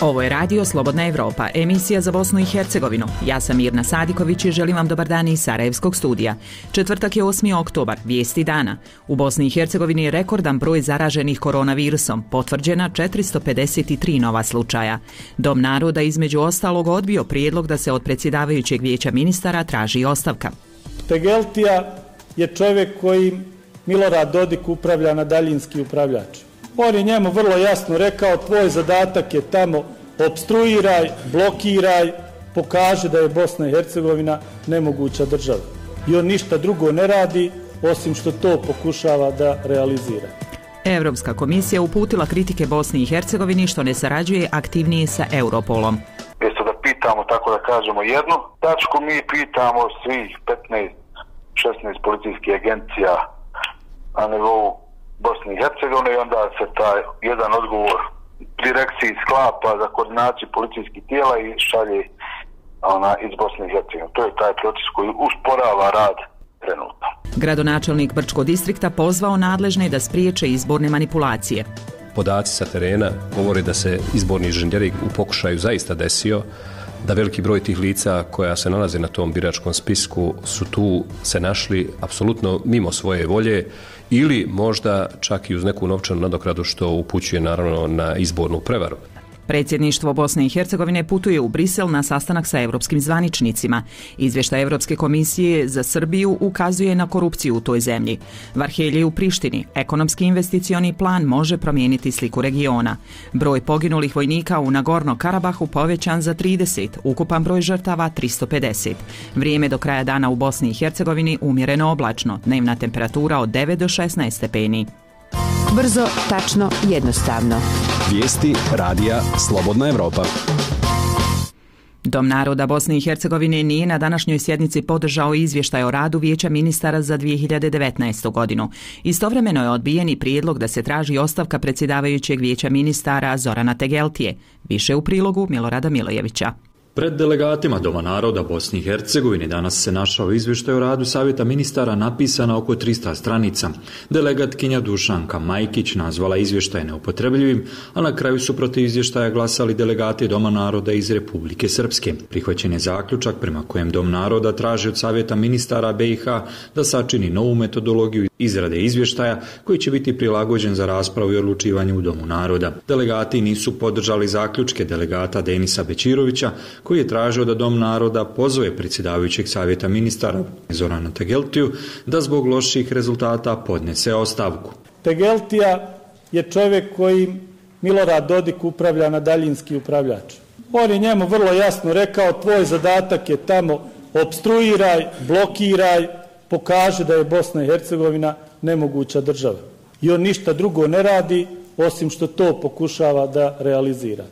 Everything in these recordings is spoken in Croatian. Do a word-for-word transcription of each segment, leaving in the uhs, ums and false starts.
Ovo je Radio Slobodna Evropa, emisija za Bosnu i Hercegovinu. Ja sam Mirna Sadiković i želim vam dobar dan iz Sarajevskog studija. Četvrtak je osmi oktobar, vijesti dana. U Bosni i Hercegovini je rekordan broj zaraženih koronavirusom, potvrđena četiristo pedeset tri nova slučaja. Dom naroda između ostalog odbio prijedlog da se od predsjedavajućeg vijeća ministara traži ostavka. Tegeltija je čovjek koji Milorad Dodik upravlja na daljinski upravljač. On je njemu vrlo jasno rekao, tvoj zadatak je tamo opstruiraj, blokiraj, pokaži da je Bosna i Hercegovina nemoguća država. I on ništa drugo ne radi, osim što to pokušava da realizira. Europska komisija uputila kritike Bosni i Hercegovini što ne sarađuje aktivnije sa Europolom. Mjesto da pitamo, tako da kažemo, jednu tačku, mi pitamo svih petnaest šesnaest policijskih agencija na nivou Bosni i Hercegovine i onda se taj jedan odgovor direkciji sklapa za koordinaciju policijskih tijela i šalje ona, iz Bosne i Hercegovine. To je taj proces koji usporava rad trenutno. Gradonačelnik Brčkog distrikta pozvao nadležne da spriječe izborne manipulacije. Podaci sa terena govore da se izborni inženjering u pokušaju zaista desio, da veliki broj tih lica koja se nalaze na tom biračkom spisku su tu se našli apsolutno mimo svoje volje ili možda čak i uz neku novčanu nadoknadu što upućuje naravno na izbornu prevaru. Predsjedništvo Bosne i Hercegovine putuje u Brisel na sastanak sa europskim zvaničnicima. Izvještaj Europske komisije za Srbiju ukazuje na korupciju u toj zemlji. Varhelje u Prištini. Ekonomski investicioni plan može promijeniti sliku regiona. Broj poginulih vojnika u Nagorno Karabahu povećan za trideset, ukupan broj žrtava tristo pedeset. Vrijeme do kraja dana u Bosni i Hercegovini umjereno oblačno, dnevna temperatura od devet do šesnaest stepeni. Brzo, tačno, jednostavno. Vijesti radija Slobodna Evropa. Dom naroda Bosne i Hercegovine nije na današnjoj sjednici podržao izvještaj o radu Vijeća ministara za dvije hiljade devetnaestu. godinu. Istovremeno je odbijen i prijedlog da se traži ostavka predsjedavajućeg Vijeća ministara Zorana Tegeltije. Više u prilogu Milorada Milojevića. Pred delegatima Doma naroda Bosne i Hercegovine danas se našao izvještaj o radu Savjeta ministara napisana oko tristo stranica. Delegatkinja Dušanka Majkić nazvala izvještaj neupotrebljivim, a na kraju su protiv izvještaja glasali delegati Doma naroda iz Republike Srpske. Prihvaćen je zaključak prema kojem Dom naroda traži od Savjeta ministara B i H da sačini novu metodologiju izrade izvještaja koji će biti prilagođen za raspravu i odlučivanje u Domu naroda. Delegati nisu podržali zaključke delegata Denisa Bećirovića koji je tražio da Dom naroda pozove predsjedavajućeg Savjeta ministara Zorana Tegeltiju da zbog loših rezultata podnese ostavku. Tegeltija je čovjek koji Milorad Dodik upravlja na daljinski upravljač. On je njemu vrlo jasno rekao, tvoj zadatak je tamo opstruiraj, blokiraj, pokaži da je Bosna i Hercegovina nemoguća država. I on ništa drugo ne radi, osim što to pokušava da realizira.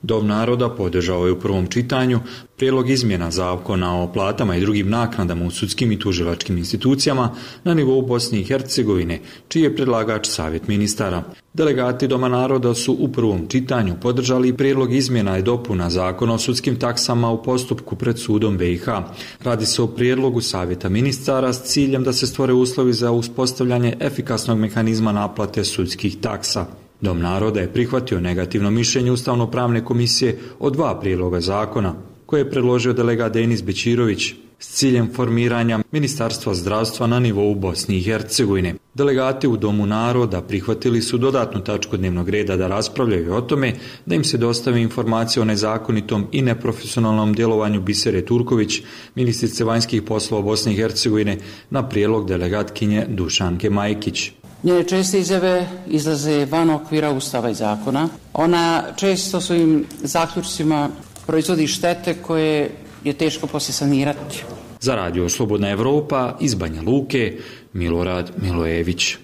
Dom naroda podržao je u prvom čitanju prijedlog izmjena zakona o platama i drugim naknadama u sudskim i tužilačkim institucijama na nivou Bosne i Hercegovine, čiji je predlagač Savjet ministara. Delegati Doma naroda su u prvom čitanju podržali prijedlog izmjena i dopuna zakona o sudskim taksama u postupku pred sudom B i H. Radi se o prijedlogu Savjeta ministara s ciljem da se stvore uslovi za uspostavljanje efikasnog mehanizma naplate sudskih taksa. Dom naroda je prihvatio negativno mišljenje Ustavno-pravne komisije o dva prijedloga zakona, koje je predložio delegat Denis Bećirović s ciljem formiranja Ministarstva zdravstva na nivou Bosne i Hercegovine. Delegati u Domu naroda prihvatili su dodatnu tačku dnevnog reda da raspravljaju o tome da im se dostavi informacije o nezakonitom i neprofesionalnom djelovanju Bisere Turković, ministrice vanjskih poslova Bosne i Hercegovine, na prijedlog delegatkinje Dušanke Majkić. Njene česte izjave izlaze van okvira Ustava i zakona. Ona često svojim zaključcima proizvodi štete koje je teško poslije sanirati. Za Radio Slobodna Evropa iz Banja Luke, Milorad Milojević.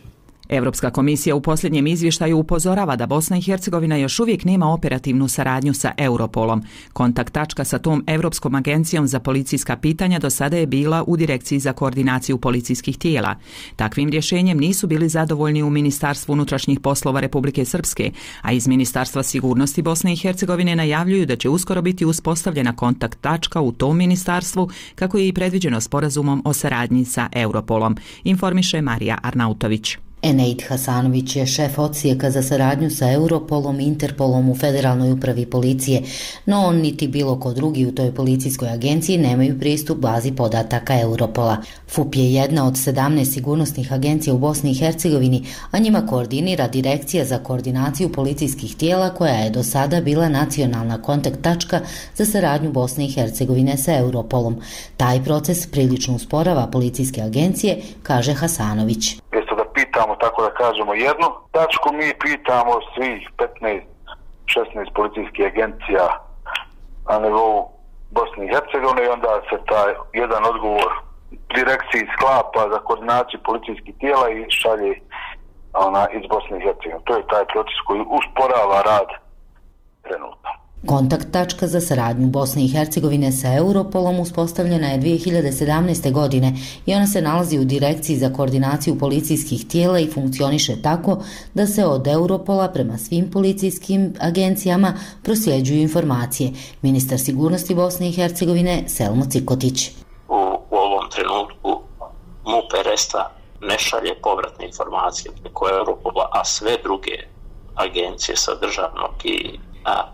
Europska komisija u posljednjem izvještaju upozorava da Bosna i Hercegovina još uvijek nema operativnu saradnju sa Europolom. Kontakt tačka sa tom Europskom agencijom za policijska pitanja do sada je bila u Direkciji za koordinaciju policijskih tijela. Takvim rješenjem nisu bili zadovoljni u Ministarstvu unutrašnjih poslova Republike Srpske, a iz Ministarstva sigurnosti Bosne i Hercegovine najavljuju da će uskoro biti uspostavljena kontakt tačka u tom ministarstvu, kako je i predviđeno sporazumom o saradnji sa Europolom, informiše Marija Arnautović. Eneid Hasanović je šef odsjeka za saradnju sa Europolom i Interpolom u Federalnoj upravi policije, no on niti bilo ko drugi u toj policijskoj agenciji nemaju pristup bazi podataka Europola. F U P je jedna od sedamnaest sigurnosnih agencija u Bosni i Hercegovini, a njima koordinira Direkcija za koordinaciju policijskih tijela, koja je do sada bila nacionalna kontakt tačka za saradnju Bosne i Hercegovine sa Europolom. Taj proces prilično usporava policijske agencije, kaže Hasanović. Pitamo, tako da kažemo, jednu tačku, mi pitamo svih petnaest šesnaest policijskih agencija na nivou Bosne i Hercegovine i onda se taj jedan odgovor direkciji sklapa za koordinaciju policijskih tijela i šalje ona, iz Bosne i Hercegovine. To je taj proces koji usporava rad trenutno. Kontakt tačka za saradnju Bosne i Hercegovine sa Europolom uspostavljena je dvije hiljade sedamnaeste. godine i ona se nalazi u Direkciji za koordinaciju policijskih tijela i funkcioniše tako da se od Europola prema svim policijskim agencijama prosljeđuju informacije. Ministar sigurnosti Bosne i Hercegovine Selmo Cikotić. U, u ovom trenutku M U P Resta ne šalje povratne informacije preko Europola, a sve druge agencije sa državnog i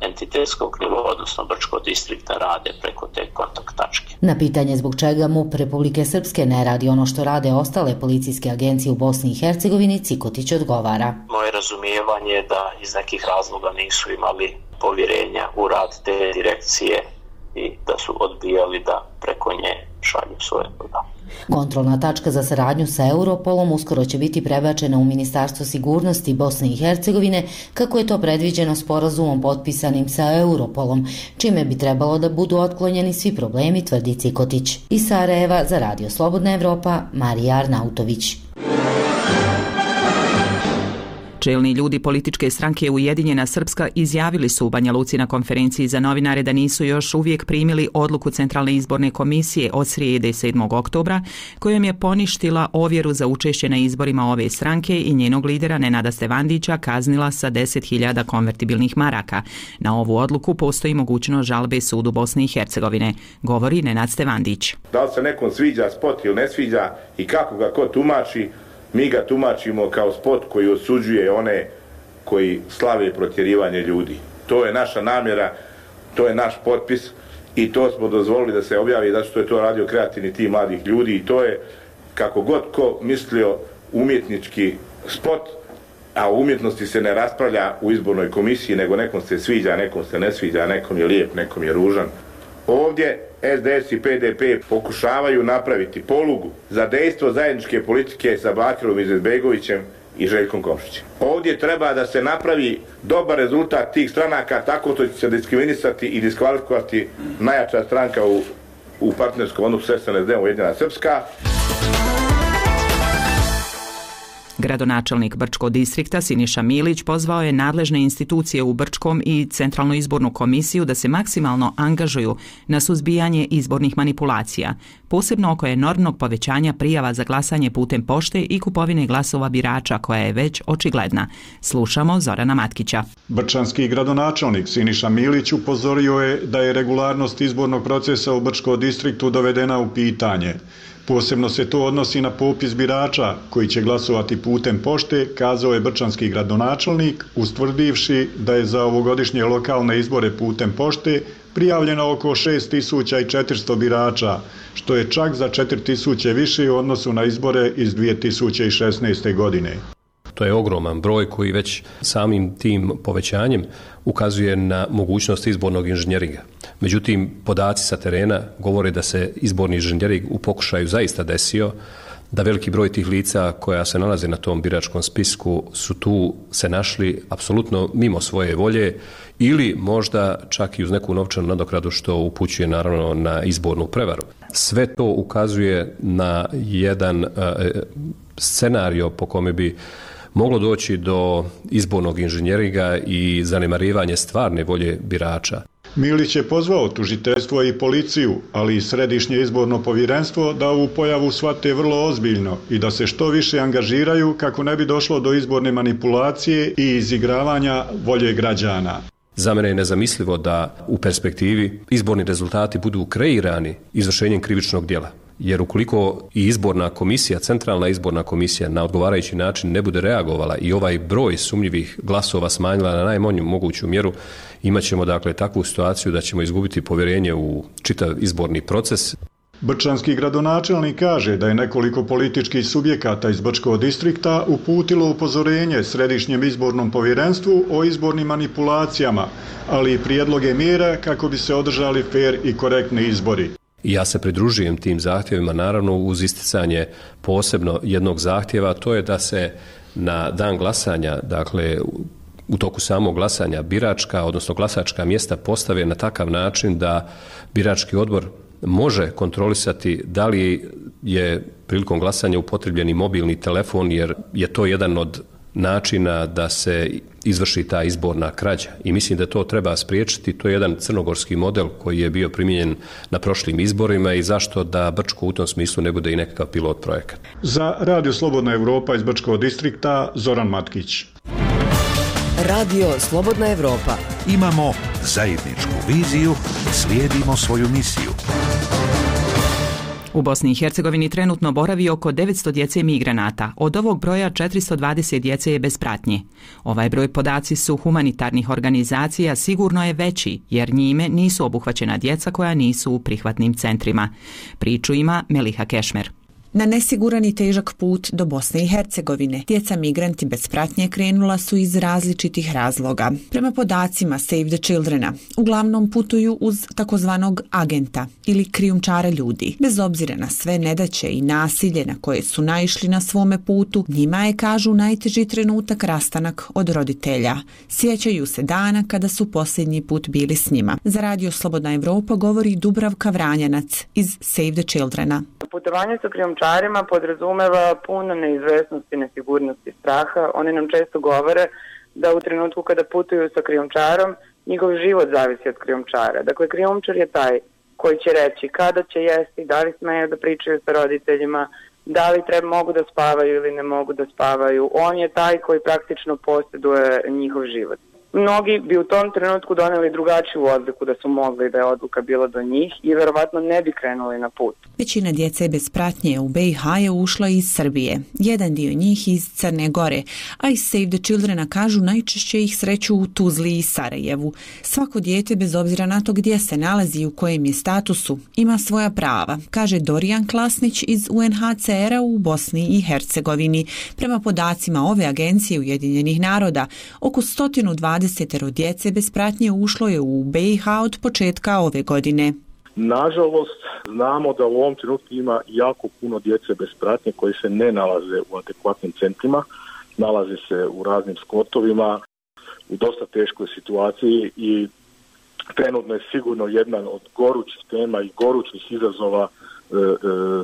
entitetskog nivoa, odnosno Brčkog distrikta, rade preko te kontakt tačke. Na pitanje zbog čega M U P Republike Srpske ne radi ono što rade ostale policijske agencije u Bosni i Hercegovini, Cikotić odgovara. Moje razumijevanje je da iz nekih razloga nisu imali povjerenja u rad te direkcije i da su odbijali da preko nje šalju svoje podatke. Kontrolna tačka za saradnju sa Europolom uskoro će biti prebačena u Ministarstvo sigurnosti Bosne i Hercegovine, kako je to predviđeno sporazumom potpisanim sa Europolom, čime bi trebalo da budu otklonjeni svi problemi, tvrdi Cikotić. Iz Sarajeva za Radio Slobodna Evropa, Marija Arnautović. Čelni ljudi političke stranke Ujedinjena Srpska izjavili su u Banja Luci na konferenciji za novinare da nisu još uvijek primili odluku Centralne izborne komisije od srijede sedmog oktobra, kojom je poništila ovjeru za učešće na izborima ove stranke i njenog lidera Nenada Stevandića kaznila sa deset hiljada konvertibilnih maraka. Na ovu odluku postoji mogućnost žalbe sudu Bosne i Hercegovine, govori Nenad Stevandić. Da li se nekom sviđa spot ili ne sviđa i kako ga ko tumači, mi ga tumačimo kao spot koji osuđuje one koji slave protjerivanje ljudi. To je naša namjera, to je naš potpis i to smo dozvolili da se objavi, zato što je to radio kreativni tim mladih ljudi i to je, kako god ko mislio, umjetnički spot, a u umjetnosti se ne raspravlja u izbornoj komisiji, nego nekom se sviđa, nekom se ne sviđa, nekom je lijep, nekom je ružan. Ovdje S D S i P D P pokušavaju napraviti polugu za dejstvo zajedničke politike sa Bakirom Izetbegovićem i Željkom Komšićem. Ovdje treba da se napravi dobar rezultat tih stranaka tako što će se diskriminisati i diskvalifikovati najjača stranka u, u partnerskom odnosu s S N S D-om Ujedinjena Srpska. Gradonačelnik Brčkog distrikta Siniša Milić pozvao je nadležne institucije u Brčkom i Centralnu izbornu komisiju da se maksimalno angažuju na suzbijanje izbornih manipulacija, posebno oko enormnog povećanja prijava za glasanje putem pošte i kupovine glasova birača koja je već očigledna. Slušamo Zorana Matkića. Brčanski gradonačelnik Siniša Milić upozorio je da je regularnost izbornog procesa u Brčkom distriktu dovedena u pitanje. Posebno se to odnosi na popis birača koji će glasovati putem pošte, kazao je brčanski gradonačelnik, ustvrdivši da je za ovogodišnje lokalne izbore putem pošte prijavljeno oko šest tisuća četiristo birača, što je čak za četiri tisuće više u odnosu na izbore iz dvije tisuće šesnaeste. godine. To je ogroman broj koji već samim tim povećanjem ukazuje na mogućnost izbornog inženjeringa. Međutim, podaci sa terena govore da se izborni inženjering u pokušaju zaista desio, da veliki broj tih lica koja se nalaze na tom biračkom spisku su tu se našli apsolutno mimo svoje volje ili možda čak i uz neku novčanu nadoknadu, što upućuje naravno na izbornu prevaru. Sve to ukazuje na jedan uh, scenario po kome bi moglo doći do izbornog inženjeringa i zanemarivanje stvarne volje birača. Milić je pozvao tužiteljstvo i policiju, ali i Središnje izborno povjerenstvo da ovu pojavu shvate vrlo ozbiljno i da se što više angažiraju kako ne bi došlo do izborne manipulacije i izigravanja volje građana. Za mene je nezamislivo da u perspektivi izborni rezultati budu kreirani izvršenjem krivičnog djela. Jer ukoliko i izborna komisija, centralna izborna komisija na odgovarajući način ne bude reagovala i ovaj broj sumnjivih glasova smanjila na najmanju moguću mjeru, imat ćemo dakle takvu situaciju da ćemo izgubiti povjerenje u čitav izborni proces. Brčanski gradonačelnik kaže da je nekoliko političkih subjekata iz Brčkog distrikta uputilo upozorenje Središnjem izbornom povjerenstvu o izbornim manipulacijama, ali i prijedloge mjera kako bi se održali fer i korektni izbori. I ja se pridružujem tim zahtjevima, naravno uz isticanje posebno jednog zahtjeva, to je da se na dan glasanja, dakle u toku samog glasanja biračka, odnosno glasačka mjesta postave na takav način da birački odbor može kontrolisati da li je prilikom glasanja upotrebljen i mobilni telefon, jer je to jedan od načina da se izvrši ta izborna krađa. I mislim da to treba spriječiti. To je jedan crnogorski model koji je bio primijenjen na prošlim izborima i zašto da Brčko u tom smislu ne bude i nekakav pilot projekat. Za Radio Slobodna Evropa iz Brčkog distrikta Zoran Matkić. Radio Slobodna Evropa. Imamo zajedničku viziju, slijedimo svoju misiju. U Bosni i Hercegovini trenutno boravi oko devetsto djece migranata. Od ovog broja četiristo dvadeset djece je bez pratnje. Ovaj broj podaci su humanitarnih organizacija sigurno je veći, jer njime nisu obuhvaćena djeca koja nisu u prihvatnim centrima. Priču ima Meliha Kešmer. Na nesiguran i težak put do Bosne i Hercegovine, djeca migranti bez pratnje krenula su iz različitih razloga. Prema podacima Save the Childrena, uglavnom putuju uz takozvanog agenta ili krijumčara ljudi. Bez obzira na sve nedaće i nasilje na koje su naišli na svome putu, njima je, kažu, najteži trenutak rastanak od roditelja. Sjećaju se dana kada su posljednji put bili s njima. Za Radio Slobodna Evropa govori Dubravka Vranjanac iz Save the Childrena. Putovanje sa krijumčarima podrazumeva puno neizvesnosti, nesigurnosti, straha. Oni nam često govore da u trenutku kada putuju sa krijumčarom, njihov život zavisi od krijumčara. Dakle, krijumčar je taj koji će reći kada će jesti, da li smeju da pričaju sa roditeljima, da li treba, mogu da spavaju ili ne mogu da spavaju. On je taj koji praktično posjeduje njihov život. Mnogi bi u tom trenutku doneli drugačiju odluku da su mogli da je odluka bila do njih i verovatno ne bi krenuli na put. Većina djece bez pratnje u be i ha je ušla iz Srbije, jedan dio njih iz Crne Gore, a iz Save the Childrena kažu najčešće ih sreću u Tuzli i Sarajevu. Svako dijete, bez obzira na to gdje se nalazi i u kojem je statusu, ima svoja prava, kaže Dorijan Klasnić iz u en ha ce era u Bosni i Hercegovini. Prema podacima ove agencije Ujedinjenih naroda, oko sto dvadeset djece bez pratnje ušlo je u be i ha od početka ove godine. Nažalost, znamo da u ovom trenutku ima jako puno djece bez pratnje koji se ne nalaze u adekvatnim centrima, nalaze se u raznim skotovima, u dosta teškoj situaciji i trenutno je sigurno jedna od gorućih tema i gorućih izazova e, e,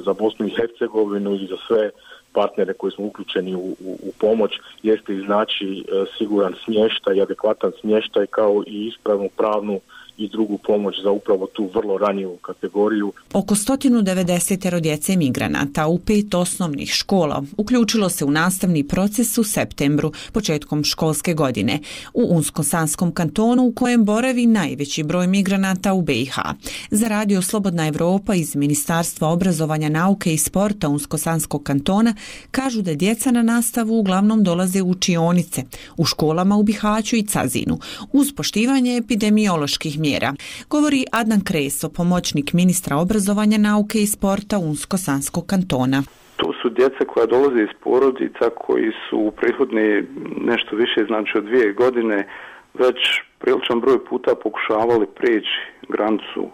za Bosnu i Hercegovinu i za sve partnere koji smo uključeni u, u, u pomoć, jeste iznaći e, siguran smještaj i adekvatan smještaj kao i ispravnu pravnu i drugu pomoć za upravo tu vrlo ranjivu kategoriju. Oko sto devedeset djece migranata u pet osnovnih škola uključilo se u nastavni proces u septembru, početkom školske godine, u Unsko-Sanskom kantonu u kojem boravi najveći broj migranata u be i ha. Za Radio Slobodna Evropa iz Ministarstva obrazovanja, nauke i sporta Unsko-Sanskog kantona kažu da djeca na nastavu uglavnom dolaze u učionice, u školama u Bihaću i Cazinu, uz poštivanje epidemioloških mjera. Mjera. Govori Adnan Kreso, pomoćnik ministra obrazovanja, nauke i sporta Unsko-Sanskog kantona. To su djeca koja dolaze iz porodica koji su u prethodne nešto više, znači od dvije godine, već priličan broj puta pokušavali preći granicu uh,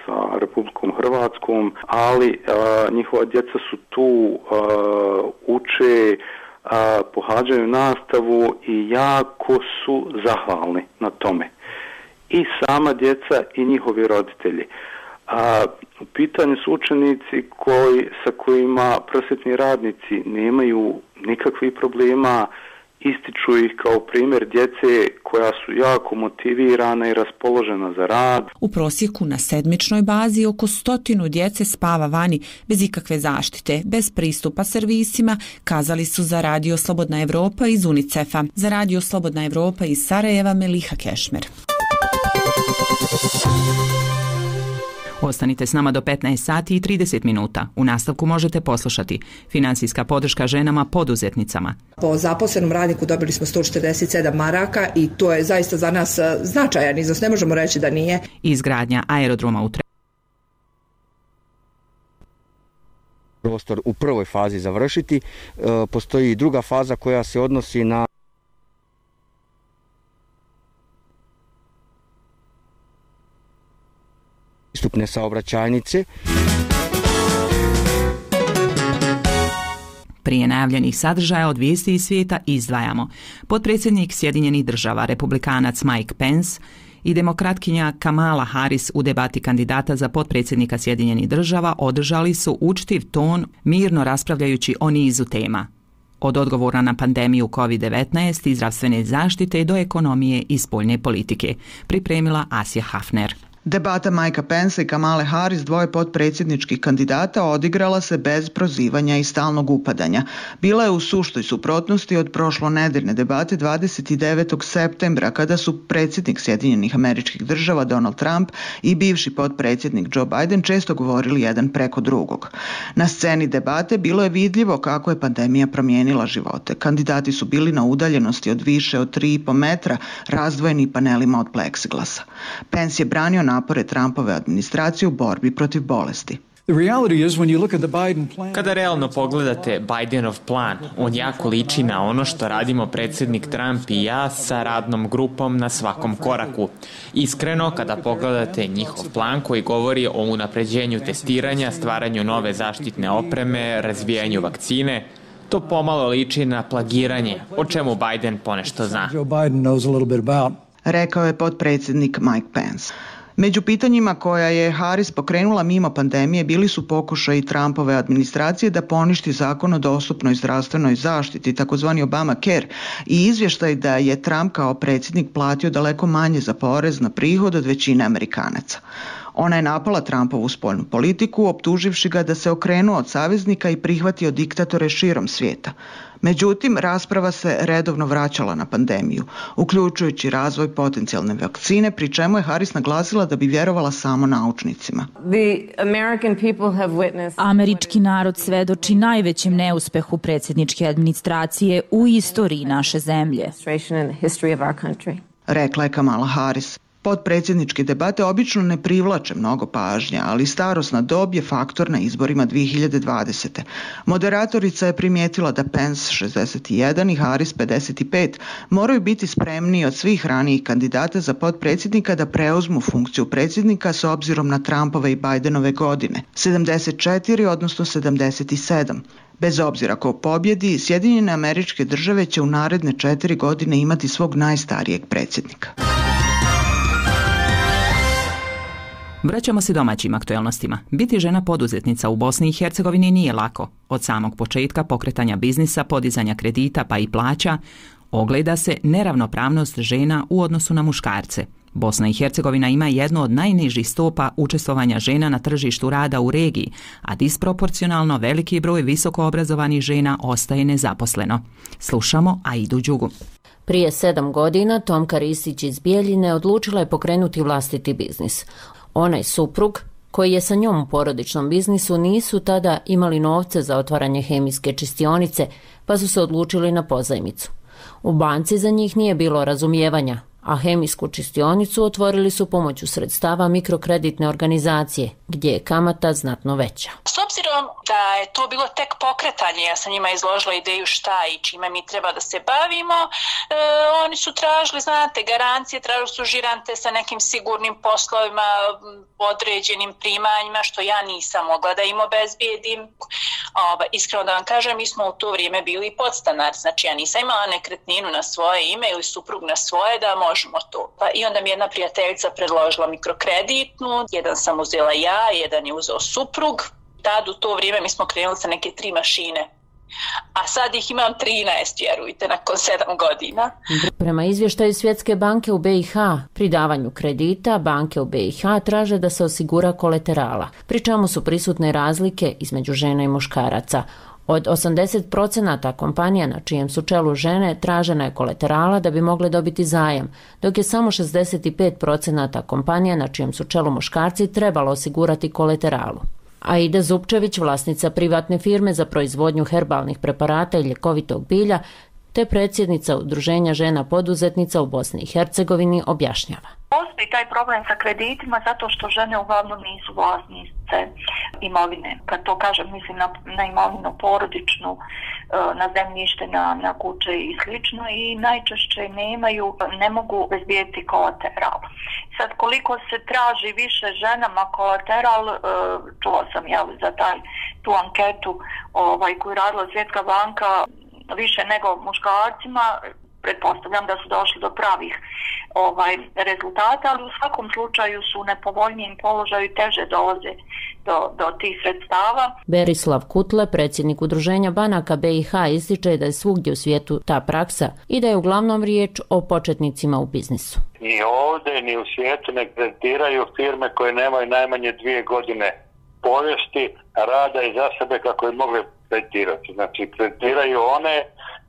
sa Republikom Hrvatskom, ali uh, njihova djeca su tu, uh, uče, uh, pohađaju nastavu i jako su zahvalni na tome. I sama djeca i njihovi roditelji. A u pitanju su učenici koji, sa kojima prosvjetni radnici nemaju nikakvih problema, ističu ih kao primjer djece koja su jako motivirana i raspoložena za rad. U prosjeku na sedmičnoj bazi oko stotinu djece spava vani bez ikakve zaštite, bez pristupa servisima, kazali su za Radio Slobodna Evropa iz UNICEF-a. Za Radio Slobodna Evropa iz Sarajeva Meliha Kešmer. Ostanite s nama do petnaest sati i trideset minuta. U nastavku možete poslušati finansijska podrška ženama poduzetnicama. Po zaposlenom radniku dobili smo sto četrdeset sedam maraka i to je zaista za nas značajan iznos, ne možemo reći da nije. Izgradnja aerodroma u prostor u prvoj fazi završiti. Postoji i druga faza koja se odnosi na pristupne saobraćajnice. Prije najavljenih sadržaja od vijesti iz svijeta izdvajamo. Potpredsjednik Sjedinjenih država, republikanac Mike Pence i demokratkinja Kamala Harris u debati kandidata za potpredsjednika Sjedinjenih država održali su učtiv ton, mirno raspravljajući o nizu tema. Od odgovora na pandemiju kovid devetnaest i zdravstvene zaštite do ekonomije i spoljne politike, pripremila Asja Hafner. Debata Mikea Pensa i Kamale Harris, dvoje potpredsjedničkih kandidata, odigrala se bez prozivanja i stalnog upadanja. Bila je u suštoj suprotnosti od prošlonedeljne debate dvadeset devetog septembra, kada su predsjednik Sjedinjenih Američkih Država Donald Trump i bivši potpredsjednik Joe Biden često govorili jedan preko drugog. Na sceni debate bilo je vidljivo kako je pandemija promijenila živote. Kandidati su bili na udaljenosti od više od tri i po metra, razdvojeni panelima od pleksiglasa. Pence je branio napore Trumpove administracije u borbi protiv bolesti. Kada realno pogledate Bidenov plan, on jako liči na ono što radimo predsjednik Trump i ja sa radnom grupom na svakom koraku. Iskreno, kada pogledate njihov plan koji govori o unapređenju testiranja, stvaranju nove zaštitne opreme, razvijanju vakcine, to pomalo liči na plagiranje, o čemu Biden ponešto zna. Rekao je potpredsjednik Mike Pence. Među pitanjima koja je Harris pokrenula mimo pandemije bili su pokušaji Trumpove administracije da poništi zakon o dostupnoj zdravstvenoj zaštiti, takozvani Obamacare, i izvještaj da je Trump kao predsjednik platio daleko manje za porez na prihod od većine Amerikanaca. Ona je napala Trumpovu spoljnu politiku, optuživši ga da se okrenuo od saveznika i prihvatio diktatore širom svijeta. Međutim, rasprava se redovno vraćala na pandemiju, uključujući razvoj potencijalne vakcine, pri čemu je Harris naglasila da bi vjerovala samo naučnicima. Američki narod svedoči najvećem neuspehu predsjedničke administracije u istoriji naše zemlje, rekla je Kamala Harris. Potpredsjedničke debate obično ne privlače mnogo pažnje, ali starosna dob je faktor na izborima dvije hiljade dvadesete. Moderatorica je primijetila da Pence šezdeset jedan i Harris pedeset pet moraju biti spremniji od svih ranijih kandidata za potpredsjednika da preuzmu funkciju predsjednika s obzirom na Trumpove i Bidenove godine, sedamdeset četiri odnosno sedamdeset sedam. Bez obzira ko pobjedi, Sjedinjene Američke Države će u naredne četiri godine imati svog najstarijeg predsjednika. Vraćamo se domaćim aktuelnostima. Biti žena poduzetnica u Bosni i Hercegovini nije lako. Od samog početka pokretanja biznisa, podizanja kredita pa i plaća, ogleda se neravnopravnost žena u odnosu na muškarce. Bosna i Hercegovina ima jednu od najnižih stopa učestvovanja žena na tržištu rada u regiji, a disproporcionalno veliki broj visoko obrazovanih žena ostaje nezaposleno. Slušamo Aidu Đugu. Prije sedam godina Tomka Ristić iz Bijeljine odlučila je pokrenuti vlastiti biznis. Onaj suprug, koji je sa njom u porodičnom biznisu, nisu tada imali novce za otvaranje hemijske čistionice, pa su se odlučili na pozajmicu. U banci za njih nije bilo razumijevanja, a hemijsku čistionicu otvorili su pomoću sredstava mikrokreditne organizacije, gdje je kamata znatno veća. S obzirom da je to bilo tek pokretanje, ja sam njima izložila ideju šta i čime mi treba da se bavimo, e, oni su tražili, znate, garancije, tražili su žirante sa nekim sigurnim poslovima, određenim primanjima, što ja nisam mogla da im obezbijedim. Ova, iskreno da vam kažem, mi smo u to vrijeme bili podstanari, znači ja nisam imala nekretninu na svoje ime ili suprug na svoje da možemo to. Pa i onda mi jedna prijateljica predložila mikrokreditnu, jedan sam uzela ja, jedan je uzeo suprug. Tad u to vrijeme mi smo krenuli sa neke tri mašine. A sad ih imam trinaest, vjerujte, nakon sedam godina. Prema izvještaju Svjetske banke u B i H, pri davanju kredita, banke u B i H traže da se osigura kolaterala, pri čemu su prisutne razlike između žena i muškaraca. Od osamdeset procenata kompanija na čijem su čelu žene tražena je kolaterala da bi mogle dobiti zajam, dok je samo šezdeset pet procenata kompanija na čijem su čelu muškarci trebalo osigurati kolateralu. Aida Zupčević, vlasnica privatne firme za proizvodnju herbalnih preparata i ljekovitog bilja, te predsjednica Udruženja žena poduzetnica u Bosni i Hercegovini, objašnjava. Postoji taj problem sa kreditima zato što žene uglavnom nisu vlasnice imovine. Kad to kažem, mislim na, na imovinu porodičnu, na zemljište, na, na kuće i slično, i najčešće nemaju, ne mogu obezbijeti kolateral. Sad, koliko se traži više ženama kolateral, čula sam jel, za taj, tu anketu ovaj, koju radila Svjetska banka, više nego muškarcima, pretpostavljam da su došli do pravih ovaj, rezultata, ali u svakom slučaju su u nepovoljnijem položaju i teže dolaze do, do tih sredstava. Berislav Kutle, predsjednik Udruženja banaka B i H, ističe da je svugdje u svijetu ta praksa i da je uglavnom riječ o početnicima u biznisu. Ni ovdje, ni u svijetu ne kreditiraju firme koje nemaju najmanje dvije godine povijesti rada i za sebe kako je mogli kreditirati. Znači, kreditiraju one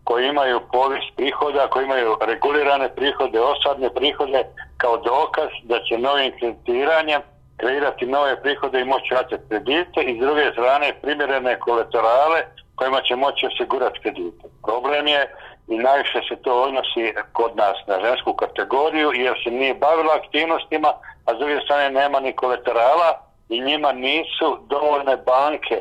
koji imaju povijest prihoda, koji imaju regulirane prihode, osadne prihode, kao dokaz da će novim kreditiranjem kreirati nove prihode i moći vraćati kredite, i s druge strane primjerene kolaterale kojima će moći osigurati kredite. Problem je, i najviše se to odnosi kod nas na žensku kategoriju, jer se nije bavila aktivnostima, a s druge strane nema ni kolaterala i njima nisu dovoljne banke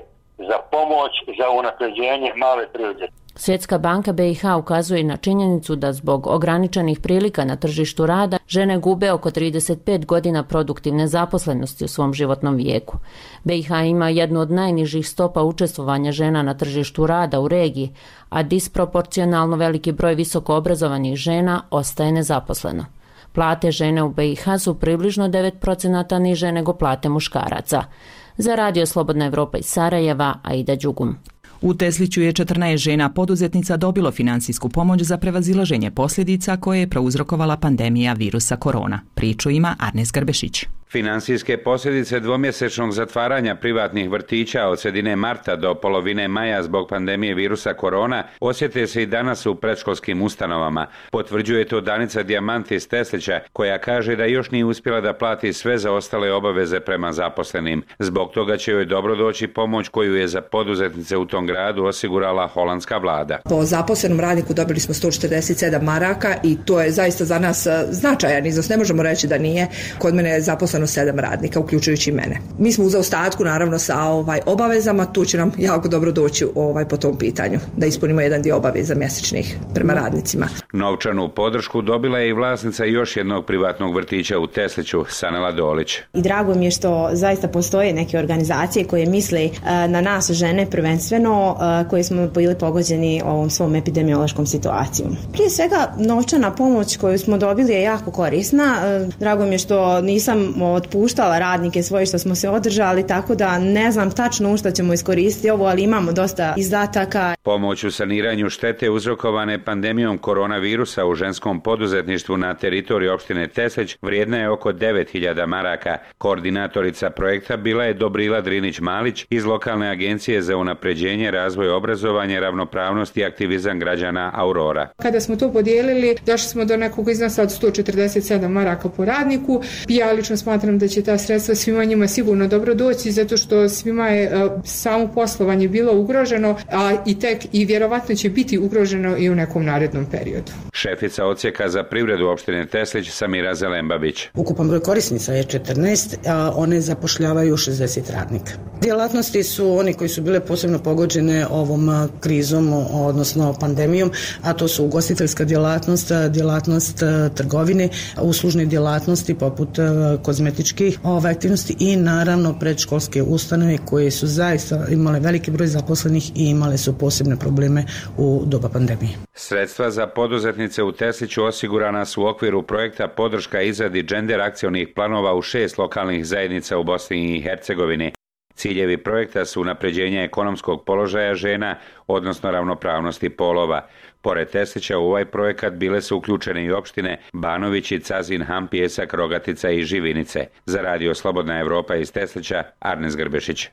za pomoć za unapređenje male privrede. Svjetska banka B i H ukazuje na činjenicu da zbog ograničenih prilika na tržištu rada žene gube oko trideset pet godina produktivne zaposlenosti u svom životnom vijeku. B i H ima jednu od najnižih stopa učestvovanja žena na tržištu rada u regiji, a disproporcionalno veliki broj visoko obrazovanih žena ostaje nezaposleno. Plate žene u B i H su približno devet procenata niže nego plate muškaraca. Za Radio Slobodna Evropa iz Sarajeva, Aida Đugum. U Tesliću je četrnaest žena poduzetnica dobilo finansijsku pomoć za prevazilaženje posljedica koje je prouzrokovala pandemija virusa korona. Priču ima Arnes Grbešić. Finansijske posljedice dvomjesečnog zatvaranja privatnih vrtića od sredine marta do polovine maja zbog pandemije virusa korona osjete se i danas u predškolskim ustanovama. Potvrđuje to Danica Dijamant iz Teslića, koja kaže da još nije uspjela da plati sve zaostale obaveze prema zaposlenim. Zbog toga će joj dobro doći pomoć koju je za poduzetnice u tom gradu osigurala holandska vlada. Po zaposlenom radniku dobili smo sto četrdeset sedam maraka i to je zaista za nas značajan iznos. Ne možemo reći da nije. Kod mene je zaposleno sedam radnika, uključujući mene. Mi smo u zaostatku naravno sa ovaj obavezama, tu će nam jako dobro doći ovaj po tom pitanju, da ispunimo jedan dio obaveza mjesečnih prema radnicima. Novčanu podršku dobila je i vlasnica još jednog privatnog vrtića u Tesliću, Sanela Dolić. I drago mi je što zaista postoje neke organizacije koje misle na nas žene prvenstveno, koje smo bili pogođeni ovom svom epidemiološkom situacijom. Prije svega novčana pomoć koju smo dobili je jako korisna. Drago mi je što nisam otpuštala radnike svoje, što smo se održali, tako da ne znam tačno u što ćemo iskoristiti ovo, ali imamo dosta izdataka. Pomoć u saniranju štete uzrokovane pandemijom koronavirusa u ženskom poduzetništvu na teritoriji opštine Teslić vrijedna je oko devet hiljada maraka. Koordinatorica projekta bila je Dobrila Drinić-Malić iz lokalne agencije za unapređenje, razvoj, obrazovanje, ravnopravnost i aktivizam građana Aurora. Kada smo to podijelili, došli smo do nekog iznosa od sto četrdeset sedam maraka po radniku. Ja lično smatram da će ta sredstva svima njima sigurno dobro doći, zato što svima je uh, samo poslovanje bilo ugroženo, a i tek i vjerovatno će biti ugroženo i u nekom narednom periodu. Šefica odsjeka za privredu opštine Teslić Samira Zelembabić. Ukupan broj korisnica je četrnaest, a one zapošljavaju šezdeset radnika. Djelatnosti su oni koji su bile posebno pogođene ovom krizom, odnosno pandemijom, a to su ugostiteljska djelatnost, djelatnost trgovine, uslužne djelatnosti poput kozmetičkih aktivnosti i naravno predškolske ustanove koje su zaista imale veliki broj zaposlenih i imale su posebne probleme u doba pandemije. Sredstva za poduzetnice u Tesliću osigurana su u okviru projekta podrška izradi gender akcionih planova u šest lokalnih zajednica u Bosni i Hercegovini. Ciljevi projekta su unapređenje ekonomskog položaja žena, odnosno ravnopravnosti polova. Pored Teslića u ovaj projekat bile su uključene i opštine Banovići, Cazin, Ham, Pijesak, Rogatica i Živinice. Za radio Slobodna Evropa iz Teslića, Arnes Grbešić.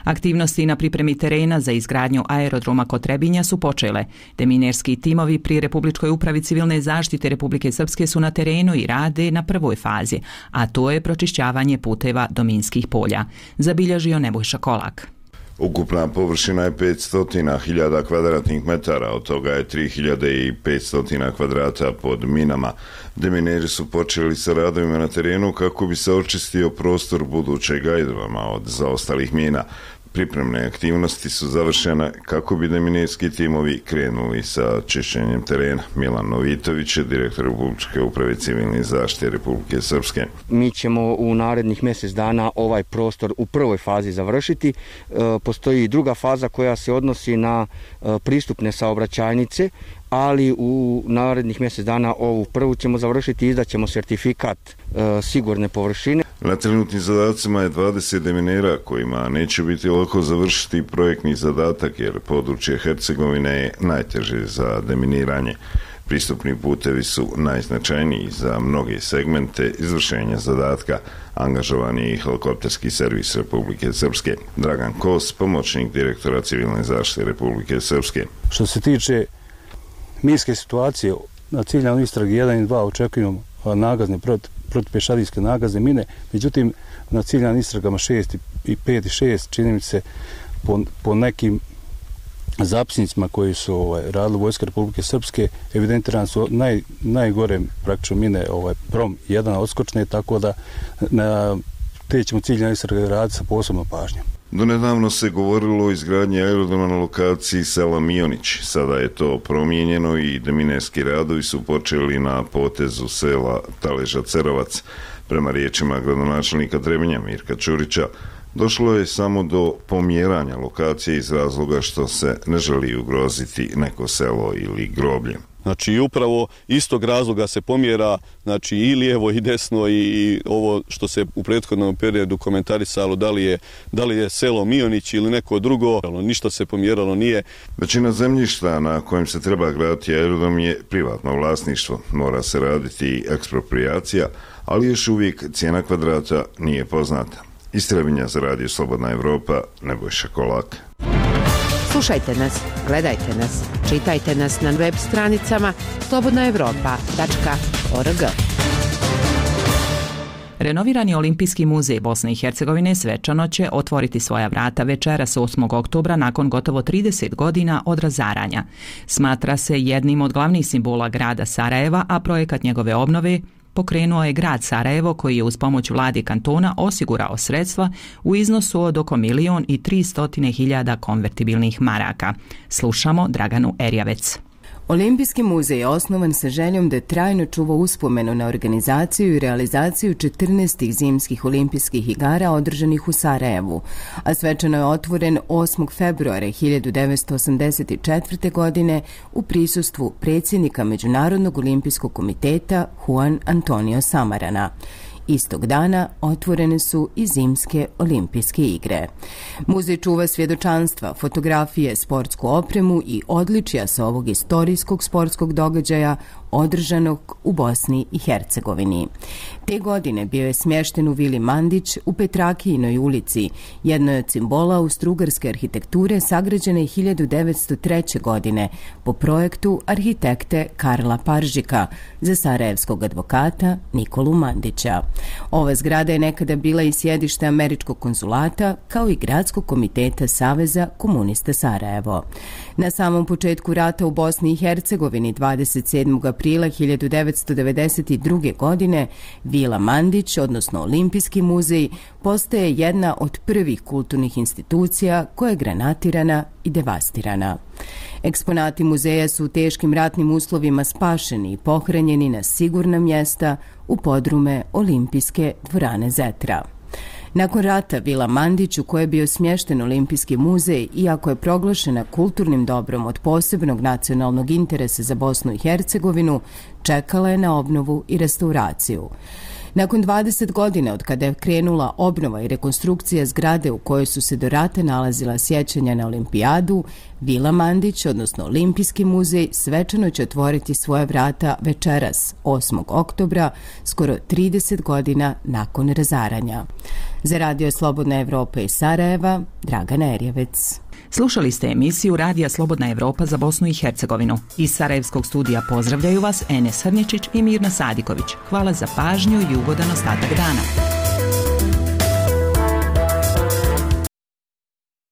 Aktivnosti na pripremi terena za izgradnju aerodroma kod Trebinja su počele. Deminerski timovi pri Republičkoj upravi civilne zaštite Republike Srpske su na terenu i rade na prvoj fazi, a to je pročišćavanje puteva do minskih polja. Zabilježio Nebojša Kolak. Ukupna površina je petsto hiljada kvadratnih metara, od toga je tri hiljade petsto kvadrata pod minama. Demineri su počeli sa radovima na terenu kako bi se očistio prostor budućeg aerodroma od zaostalih mina. Pripremne aktivnosti su završene kako bi deminerski timovi krenuli sa čišćenjem terena. Milan Novitović je direktor Republičke uprave civilne zaštite Republike Srpske. Mi ćemo u narednih mjesec dana ovaj prostor u prvoj fazi završiti. Postoji druga faza koja se odnosi na pristupne saobraćajnice, ali u narednih mjesec dana ovu prvu ćemo završiti i izdaćemo sertifikat e, sigurne površine. Na trenutnim zadacima je dvadeset deminera kojima neće biti lako završiti projektni zadatak jer područje Hercegovine je najteže za deminiranje. Pristupni putevi su najznačajniji za mnoge segmente izvršenja zadatka. Angažovan je i helikopterski servis Republike Srpske. Dragan Kos, pomoćnik direktora civilne zaštite Republike Srpske. Što se tiče minske situacije, na ciljanoj istragi jedan i dva očekujemo nagazne protipješadijske nagazne mine, međutim na ciljanim istragama šest i pet i šest čini mi se po, po nekim zapisnicima koji su ovaj, radili Vojska Republike Srpske, evidentirane su naj, najgore praktično mine ovaj, prom jedan odskočne, tako da na te ćemo ciljane istrage raditi sa posebnom pažnjom. Donedavno se govorilo o izgradnji aerodroma na lokaciji sela Mionić. Sada je to promijenjeno i deminerski radovi su počeli na potezu sela Taleža Cerovac. Prema riječima gradonačelnika Trebinja Mirka Čurića, došlo je samo do pomjeranja lokacije iz razloga što se ne želi ugroziti neko selo ili groblje. Znači upravo istog razloga se pomjera, znači i lijevo i desno i, i ovo što se u prethodnom periodu komentarisalo da li je, da li je selo Mionić ili neko drugo, ništa se pomjeralo nije. Većina zemljišta na kojem se treba graditi aerodrom je privatno vlasništvo. Mora se raditi ekspropriacija, ali još uvijek cijena kvadrata nije poznata. Iz Trebinja za radio Slobodna Evropa, Nebojša Kolak. Slušajte nas, gledajte nas, čitajte nas na web stranicama slobodna evropa tačka org. Renovirani Olimpijski muzej Bosne i Hercegovine svečano će otvoriti svoja vrata večeras osmog oktobra nakon gotovo trideset godina od razaranja. Smatra se jednim od glavnih simbola grada Sarajeva, a projekat njegove obnove pokrenuo je grad Sarajevo koji je uz pomoć vladi kantona osigurao sredstva u iznosu od oko milion i tristotine hiljada konvertibilnih maraka. Slušamo Draganu Erjavec. Olimpijski muzej je osnovan sa željom da trajno čuva uspomenu na organizaciju i realizaciju četrnaestih zimskih olimpijskih igara održanih u Sarajevu, a svečano je otvoren osmog februara hiljadu devetsto osamdeset četvrte. godine u prisustvu predsjednika Međunarodnog olimpijskog komiteta Juan Antonio Samarana. Istog dana otvorene su i zimske olimpijske igre. Muzej čuva svjedočanstva, fotografije, sportsku opremu i odličja sa ovog istorijskog sportskog događaja održanog u Bosni i Hercegovini. Te godine bio je smješten u Vili Mandić u Petrakijinoj ulici, jednoj od simbola austrougarske arhitekture sagrađene hiljadu devetsto treće. godine po projektu arhitekte Karla Paržika za sarajevskog advokata Nikolu Mandića. Ova zgrada je nekada bila i sjedište američkog konzulata, kao i gradskog komiteta Saveza komunista Sarajevo. Na samom početku rata u Bosni i Hercegovini dvadeset sedmog aprila hiljadu devetsto devedeset druge. godine Vila Mandić, odnosno Olimpijski muzej, postaje jedna od prvih kulturnih institucija koja je granatirana i devastirana. Eksponati muzeja su u teškim ratnim uslovima spašeni i pohranjeni na sigurna mjesta u podrume Olimpijske dvorane Zetra. Nakon rata Vila Mandić, u kojoj je bio smješten Olimpijski muzej, iako je proglašena kulturnim dobrom od posebnog nacionalnog interesa za Bosnu i Hercegovinu, čekala je na obnovu i restauraciju. Nakon dvadeset godina od kada je krenula obnova i rekonstrukcija zgrade u kojoj su se do rata nalazila sjećanja na olimpijadu, Vila Mandić, odnosno Olimpijski muzej, svečano će otvoriti svoje vrata večeras, osmog oktobra, skoro trideset godina nakon razaranja. Za Radio Slobodna Evropa iz Sarajeva, Dragana Erjevec. Slušali ste emisiju Radija Slobodna Evropa za Bosnu i Hercegovinu. Iz Sarajevskog studija pozdravljaju vas Enes Hrnječić i Mirna Sadiković. Hvala za pažnju i ugodan ostatak dana.